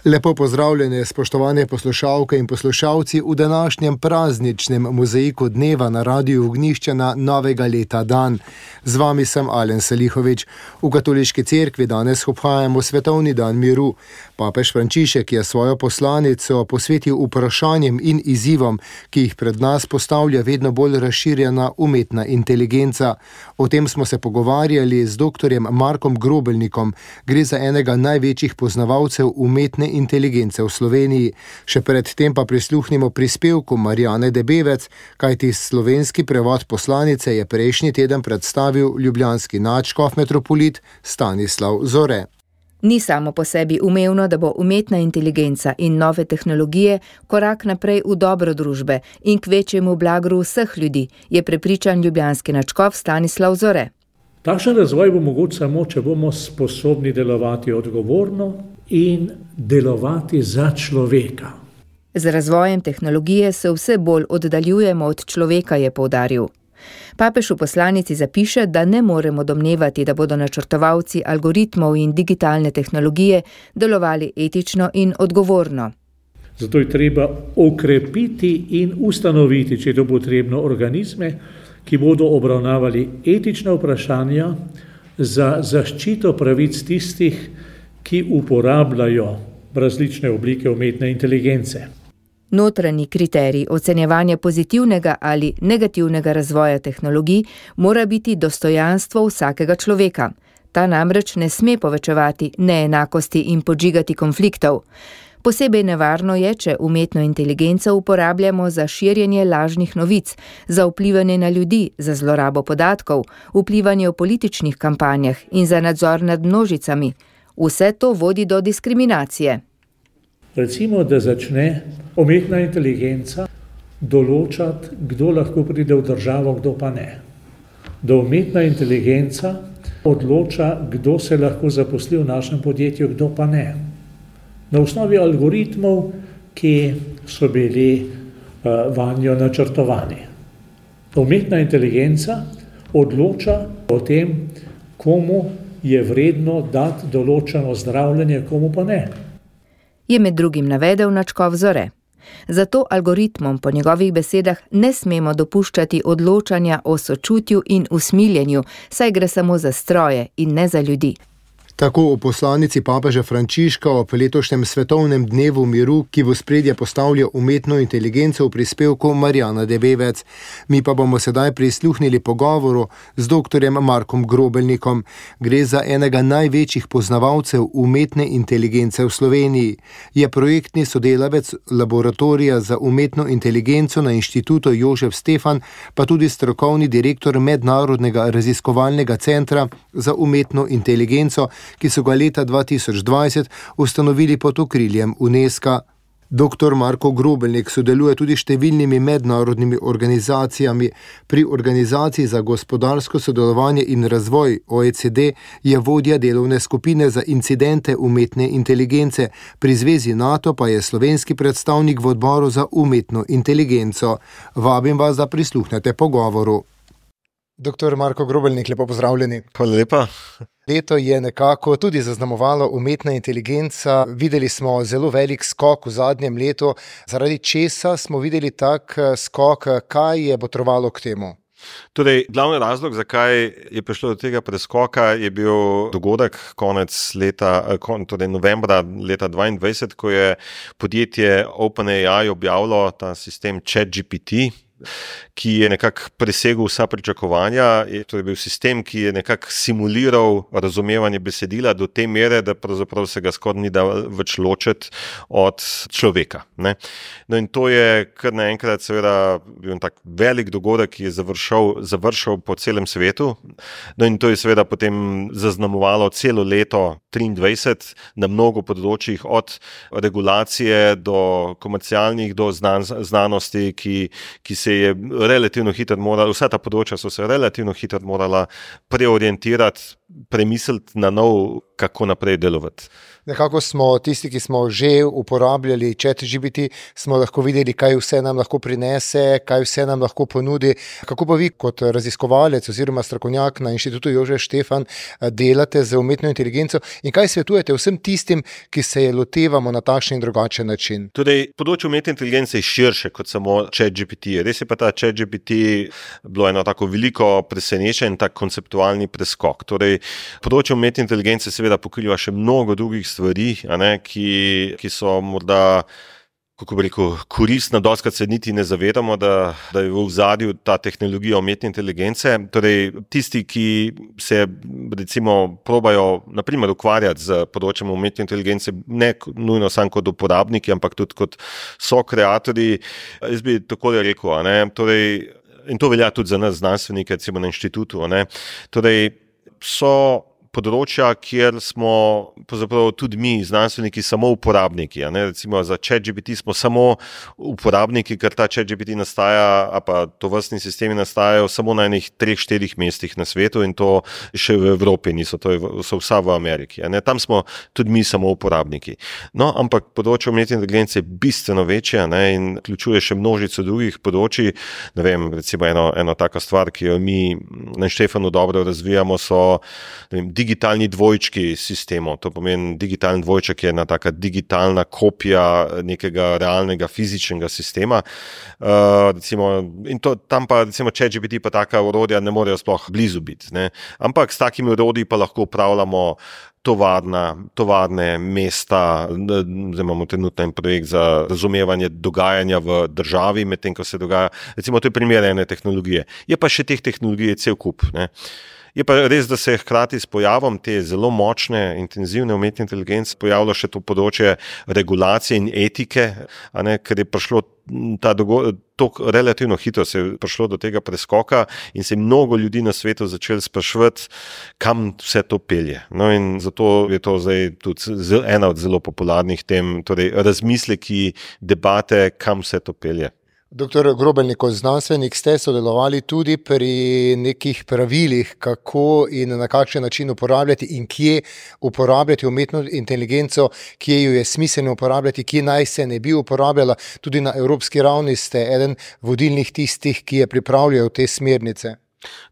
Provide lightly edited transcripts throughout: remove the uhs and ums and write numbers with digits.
Lepo pozdravljene, spoštovane poslušalke in poslušalci v današnjem prazničnem mozaiku dneva na Radiu Ognjišča novega leta dan. Z vami sem Alen Salihovič. V Katoliški cerkvi danes obhajamo svetovni dan miru. Papež Frančišek je svojo poslanico posvetil vprašanjem in izzivom, ki jih pred nas postavlja vedno bolj razširjena umetna inteligenca. O tem smo se pogovarjali z dr. Markom Grobelnikom. Gre za enega največjih poznavalcev umetne inteligence v Sloveniji. Še predtem pa prisluhnimo prispevku Marijane Debevec, kajti slovenski prevod poslanice je prejšnji teden predstavil ljubljanski nadškof metropolit Stanislav Zore. Ni samo po sebi umevno, da bo umetna inteligenca in nove tehnologije korak naprej v dobro družbe in k večjemu blagru vseh ljudi, je prepričan ljubljanski nadškof Stanislav Zore. Takšen razvoj bo mogoč samo, če bomo sposobni delovati odgovorno in delovati za človeka. Z razvojem tehnologije se vse bolj oddaljujemo od človeka, je poudaril. Papež v poslanici zapiše, da ne moremo domnevati, da bodo načrtovalci algoritmov in digitalne tehnologije delovali etično in odgovorno. Zato je treba okrepiti in ustanoviti, če je to potrebno, organizme, ki bodo obravnavali etična vprašanja za zaščito pravic tistih, ki uporabljajo različne oblike umetne inteligence. Notranji kriterij ocenjevanja pozitivnega ali negativnega razvoja tehnologij mora biti dostojanstvo vsakega človeka. Ta namreč ne sme povečevati neenakosti in podžigati konfliktov. Posebej nevarno je, če umetno inteligenco uporabljamo za širjenje lažnih novic, za vplivanje na ljudi, za zlorabo podatkov, vplivanje v političnih kampanjah in za nadzor nad množicami. Vse to vodi do diskriminacije. Recimo, da začne umetna inteligenca določati, kdo lahko pride v državo, kdo pa ne. Da umetna inteligenca odloča, kdo se lahko zaposli v našem podjetju, kdo pa ne. Na osnovi algoritmov, ki so bili vanjo načrtovani. Umetna inteligenca odloča o tem, komu je vredno dati določeno zdravljenje, komu pa ne. Je med drugim navedel nadškof Zore. Zato algoritmom po njegovih besedah ne smemo dopuščati odločanja o sočutju in usmiljenju, saj gre samo za stroje in ne za ljudi. Tako v poslanici papeža Frančiška ob letošnjem svetovnem dnevu miru, ki v ospredje postavlja umetno inteligenco v prispevku Marijana Debevec. Mi pa bomo sedaj prisluhnili pogovoru z dr. Markom Grobelnikom. Gre za enega največjih poznavalcev umetne inteligence v Sloveniji. Je projektni sodelavec laboratorija za umetno inteligenco na Inštitutu Jožef Stefan, pa tudi strokovni direktor Mednarodnega raziskovalnega centra za umetno inteligenco, ki so ga leta 2020 ustanovili pod okriljem UNESCO. Dr. Marko Grobelnik sodeluje tudi številnimi mednarodnimi organizacijami. Pri Organizaciji za gospodarsko sodelovanje in razvoj OECD je vodja delovne skupine za incidente umetne inteligence. Pri Zvezi NATO pa je slovenski predstavnik v odboru za umetno inteligenco. Vabim vas, da prisluhnete pogovoru. Dr. Marko Grobelnik, lepo pozdravljeni. Hvala lepa. Leto je nekako tudi zaznamovalo umetna inteligenca. Videli smo zelo velik skok v zadnjem letu. Zaradi česa smo videli tak skok? Kaj je botrovalo k temu? Torej, glavni razlog, zakaj je prišlo do tega preskoka, je bil dogodek konec leta, torej novembra leta 2022, ko je podjetje OpenAI objavilo ta sistem ChatGPT, ki je nekako presegel vsa pričakovanja. To je bil sistem, ki je nekako simuliral razumevanje besedila do te mere, da pravzaprav se ga skoraj ni da več ločiti od človeka. Ne? No in to je kar naenkrat seveda bil tak velik dogodek, ki je završal po celem svetu. No in to je seveda potem zaznamovalo celo leto 2023 na mnogo področjih, od regulacije do komercialnih, do znanosti, ki se je relativno hitro morala, vsa ta področja so se relativno hitro morala preorientirati premisliti na nov, kako naprej delovati. Nekako smo tisti, ki smo že uporabljali ChatGPT, smo lahko videli, kaj vse nam lahko prinese, kaj vse nam lahko ponudi. Kako pa vi kot raziskovalec oziroma strokovnjak na Inštitutu Jožef Stefan delate z umetno inteligenco in kaj svetujete vsem tistim, ki se je lotevamo na takšen in drugačen način? Torej, področje umetne inteligence je širše kot samo ChatGPT. Res je pa ta ChatGPT bilo eno tako veliko presenečenje in tak konceptualni preskok. Torej, področje umetne inteligence seveda pokriva še mnogo drugih stvari, ki so morda, kako bi rekel, koristna, dostikrat se niti ne zavedamo, da je v ozadju ta tehnologija umetne inteligence. Torej, tisti, ki se recimo probajo na primer ukvarjati z področjem umetne inteligence, ne nujno samo kot uporabniki, ampak tudi kot sokreatorji, jaz bi takole rekel, torej, in to velja tudi za nas znanstvenike, recimo na inštitutu, torej, so področja, kjer smo pravzaprav tudi mi, znanstveniki, samo uporabniki. Recimo za ChatGPT smo samo uporabniki, ker ta ChatGPT nastaja, a pa tovrstni sistemi nastajajo samo na enih 3-4 mestih na svetu in to še v Evropi niso, so vsa v Ameriki. Tam smo tudi mi samo uporabniki. No, ampak področje umetne inteligence je bistveno večje in vključuje še množico drugih področij. Ne vem, recimo eno taka stvar, ki jo mi na Štefanu dobro razvijamo, so digitalni dvojčki sistemov. To pomeni, digitalni dvojček je ena taka digitalna kopija nekega realnega fizičnega sistema. Recimo, in tam pa recimo ChatGPT pa taka orodja ne morejo sploh blizu biti. Ampak s takimi orodji pa lahko upravljamo tovarne, mesta. Zdaj imamo trenutno en projekt za razumevanje dogajanja v državi, medtem ko se dogaja. Recimo, to je primer ene tehnologije. Je pa še teh tehnologij cel kup. Je pa res, da se je hkrati s pojavom te zelo močne, intenzivne umetne inteligence pojavilo še to področje regulacije in etike, ker je prišlo relativno hitro se je prišlo do tega preskoka in se je mnogo ljudi na svetu začelo spraševati, kam vse to pelje. No, in zato je to zdaj tudi ena od zelo popularnih tem, torej razmisleki, debate, kam vse to pelje. Doktor Grobelnik, kot znanstvenik ste sodelovali tudi pri nekih pravilih, kako in na kakšen način uporabljati in kje uporabljati umetno inteligenco, kje jo je smiselno uporabljati, kje naj se ne bi uporabljala. Tudi na evropski ravni ste eden vodilnih tistih, ki je pripravljal te smernice.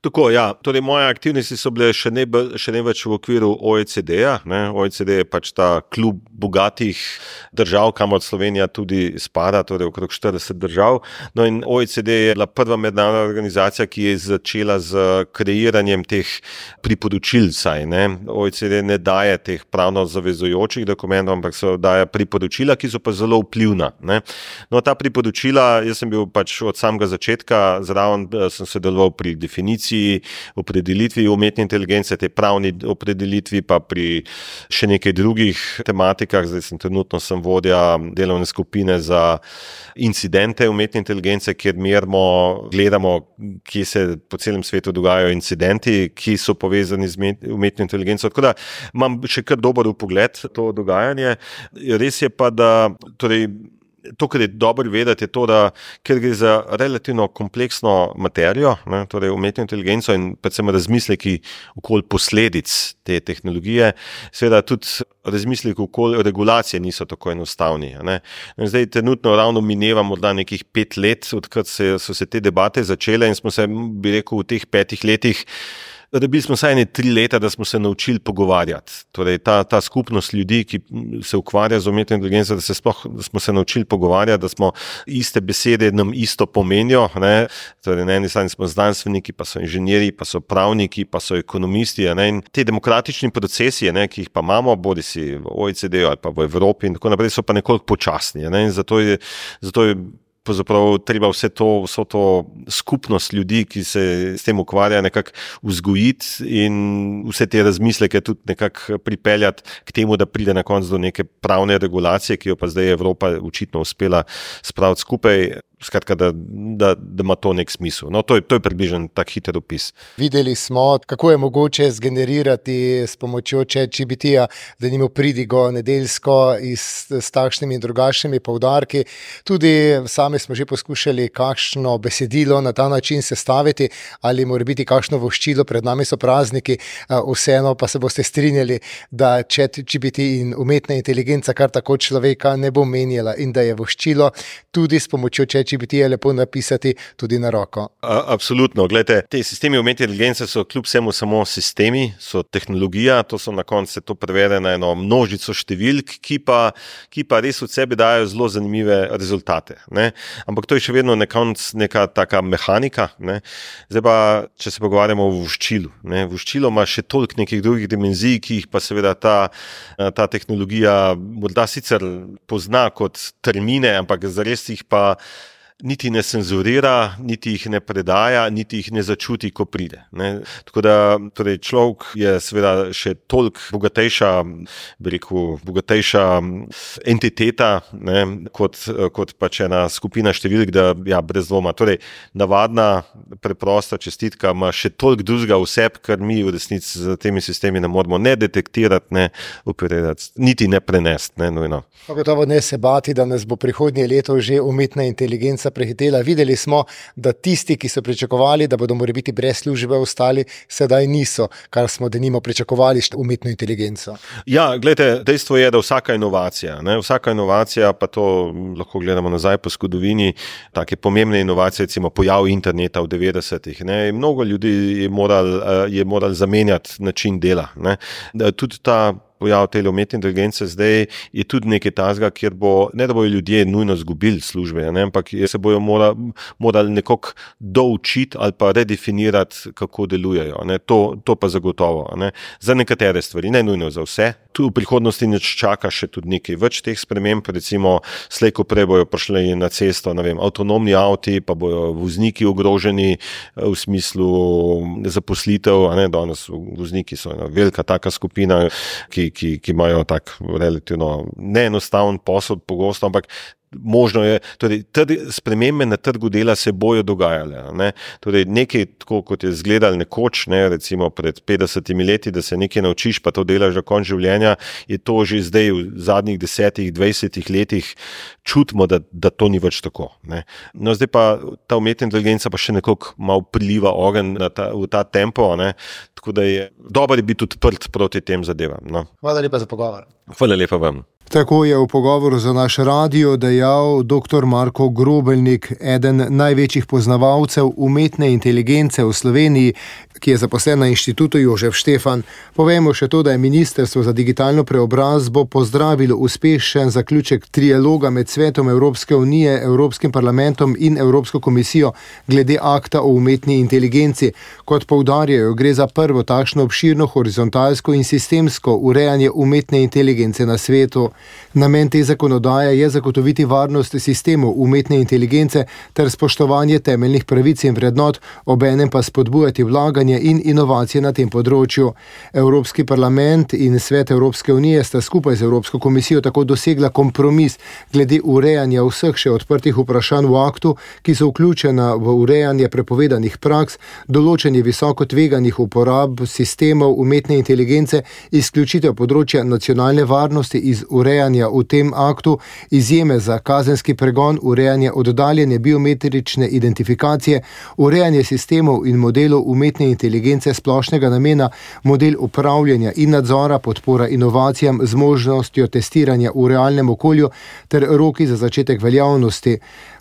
Tako, ja. Torej, moje aktivnosti so bile še ne več v okviru OECD-ja. OECD je pač ta klub bogatih držav, kamor Slovenija tudi spada, torej okrog 40 držav. No in OECD je bila prva mednarodna organizacija, ki je začela z kreiranjem teh priporočil. OECD ne daje teh pravno zavezujočih dokumentov, ampak se daje priporočila, ki so pa zelo vplivna. No, ta priporočila, jaz sem bil pač od samega začetka zraven, sem sodeloval pri definiciji, opredelitvi umetne inteligence, te pravni opredelitvi, pa pri še nekaj drugih tematikah. Zdaj trenutno sem vodja delovne skupine za incidente umetne inteligence, kjer gledamo, kje se po celem svetu dogajajo incidenti, ki so povezani z umetno inteligenco. Tako da imam še kar dober vpogled v to dogajanje. Res je pa, da to, kar je dobro vedeti, je to, da ker gre za relativno kompleksno materijo, torej umetno inteligenco in predvsem razmisleki okoli posledic te tehnologije, seveda tudi razmisleki okoli regulacije niso tako enostavni. Zdaj trenutno ravno mineva morda nekih 5 let, odkar so se te debate začele in smo se, bi rekel, v teh 5 letih rabili smo vsaj 3 leta, da smo se naučili pogovarjati. Torej, ta skupnost ljudi, ki se ukvarja z umetno inteligenco, da smo se naučili pogovarjati, da smo iste besede nam isto pomenijo. Torej, na eni strani smo znanstveniki, pa so inženirji, pa so pravniki, pa so ekonomisti. In te demokratični procesi, ki jih pa imamo, bodisi v OECD-ju ali pa v Evropi in tako naprej, so pa nekoliko počasni. In zato je pravzaprav treba vso to skupnost ljudi, ki se s tem ukvarja, nekako vzgojiti in vse te razmisleke tudi nekako pripeljati k temu, da pride na koncu do neke pravne regulacije, ki jo pa zdaj Evropa očitno uspela spraviti skupaj. Skratka, da ima to nek smisel. No, to je približno tak hiter opis. Videli smo, kako je mogoče zgenerirati s pomočjo ChatGPT-ja, da nimo pridigo nedeljsko s takšnimi in drugačnimi poudarki. Tudi same sami smo že poskušali kakšno besedilo na ta način sestaviti ali mora biti kakšno voščilo, pred nami so prazniki, vseeno pa se boste strinjali, da ChatGPT in umetna inteligenca kar tako človeka ne bo menjala in da je voščilo tudi s pomočjo ChatGPT-ja lepo napisati tudi na roko. Absolutno. Glejte, te sistemi umetne inteligence so kljub vsemu samo sistemi, so tehnologija, to so na koncu to prevede na eno množico številk, ki pa res od sebe dajo zelo zanimive rezultate. Ne? Ampak to je še vedno neka taka mehanika. Ne? Zdaj pa, če se pogovarjamo o voščilu. Ne? Voščilo ima še toliko nekih drugih dimenzij, ki jih pa seveda ta tehnologija morda sicer pozna kot termine, ampak zares jih pa niti ne cenzurira, niti jih ne predaja, niti jih ne začuti, ko pride. Ne? Tako da torej človek je seveda še toliko bogatejša entiteta, ne? kot pač ena skupina številk, da ja, brez dvoma. Torej, navadna, preprosta čestitka ima še toliko drugega vseb, kar mi v resnici z temi sistemi ne moramo ne detektirati, ne operirati, niti ne prenesti. Ne, nujno. Gotovo ne se bati, da nas bo prihodnje leto že umetna inteligenca prehitela. Videli smo, da tisti, ki so pričakovali, da bodo morebiti brez službe ostali, sedaj niso, kar smo denimo pričakovali umetno inteligenco. Ja, gledajte, dejstvo je, da vsaka inovacija, pa to lahko gledamo nazaj po zgodovini, take pomembne inovacije, recimo pojav interneta v 90-ih. Mnogo ljudi je moral zamenjati način dela. Ne. Tudi ta pojav te umetne inteligence zdaj je tudi nekaj tazga, kjer ne da bojo ljudje nujno zgubili službe, ne, ampak se bojo morali nekako doučiti ali pa redefinirati, kako delujejo. Ne. To pa zagotovo. Ne. Za nekatere stvari, ne nujno za vse. Tu v prihodnosti nas čaka še tudi nekaj več teh sprememb, recimo slej ko prej bojo prišli na cesto, ne vem, avtonomni avti, pa bojo vozniki ogroženi v smislu zaposlitev, a ne, danes vozniki so ena velika taka skupina, ki imajo tak relativno neenostaven posel pogosto, ampak možno je, torej spremembe na trgu dela se bojo dogajale. Ne? Torej nekaj, tako kot je izgledalo nekoč, ne, recimo pred 50 leti, da se nekaj naučiš, pa to delaš do konca življenja, je to že zdaj v zadnjih 10-20 letih čutimo, da to ni več tako. Ne? No, zdaj pa ta umetna inteligenca pa še nekoliko malo priliva ogenj v ta tempo, ne? Tako da je dobro biti odprt proti tem zadevam. No? Hvala lepa za pogovor. Hvala lepa vam. Tako je v pogovoru za naš radio dejal dr. Marko Grobelnik, eden največjih poznavalcev umetne inteligence v Sloveniji, ki je zaposlen na Inštitutu Jožef Štefan. Povejmo še to, da je Ministrstvo za digitalno preobrazbo pozdravilo uspešen zaključek trialoga med Svetom Evropske unije, Evropskim parlamentom in Evropsko komisijo glede akta o umetni inteligenci. Kot poudarjajo, gre za prvo takšno obširno horizontalsko in sistemsko urejanje umetne inteligence na svetu. Namen te zakonodaje je zagotoviti varnost sistemov umetne inteligence ter spoštovanje temeljnih pravic in vrednot, obenem pa spodbujati vlaganje in inovacije na tem področju. Evropski parlament in Svet Evropske unije sta skupaj z Evropsko komisijo tako dosegla kompromis glede urejanja vseh še odprtih vprašanj v aktu, ki so vključena v urejanje prepovedanih praks, določanje visoko tveganih uporab sistemov umetne inteligence, izključitev področja nacionalne varnosti iz urejanja v tem aktu, izjeme za kazenski pregon, urejanje oddaljene biometrične identifikacije, urejanje sistemov in modelov umetne inteligence splošnega namena, model upravljanja in nadzora, podpora inovacijam z možnostjo testiranja v realnem okolju ter roki za začetek veljavnosti.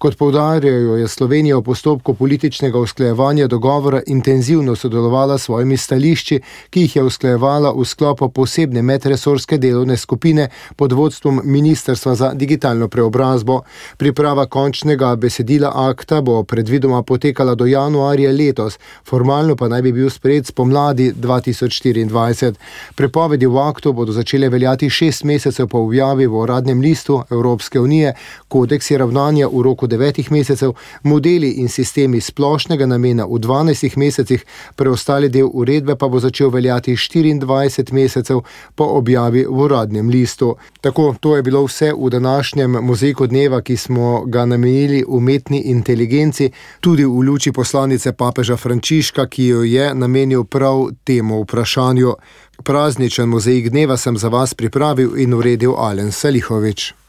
Kot poudarjajo, je Slovenija v postopku političnega usklajevanja dogovora intenzivno sodelovala s svojimi stališči, ki jih je usklajevala v sklopu posebne medresorske delovne skupine pod vodstvom Ministrstva za digitalno preobrazbo. Priprava končnega besedila akta bo predvidoma potekala do januarja letos, formalno pa naj bi bil sprejet spomladi 2024. Prepovedi v aktu bodo začele veljati 6 mesecev po objavi v uradnem listu Evropske unije, kodeksi ravnanja v roku 9 mesecev, modeli in sistemi splošnega namena v 12 mesecih, preostali del uredbe pa bo začel veljati 24 mesecev po objavi v uradnem listu. Tako, to je bilo vse v današnjem mozaiku dneva, ki smo ga namenili umetni inteligenci, tudi v luči poslanice papeža Frančiška, ki jo je namenil prav temu vprašanju. Prazničen mozaik dneva sem za vas pripravil in uredil Alen Salihovič.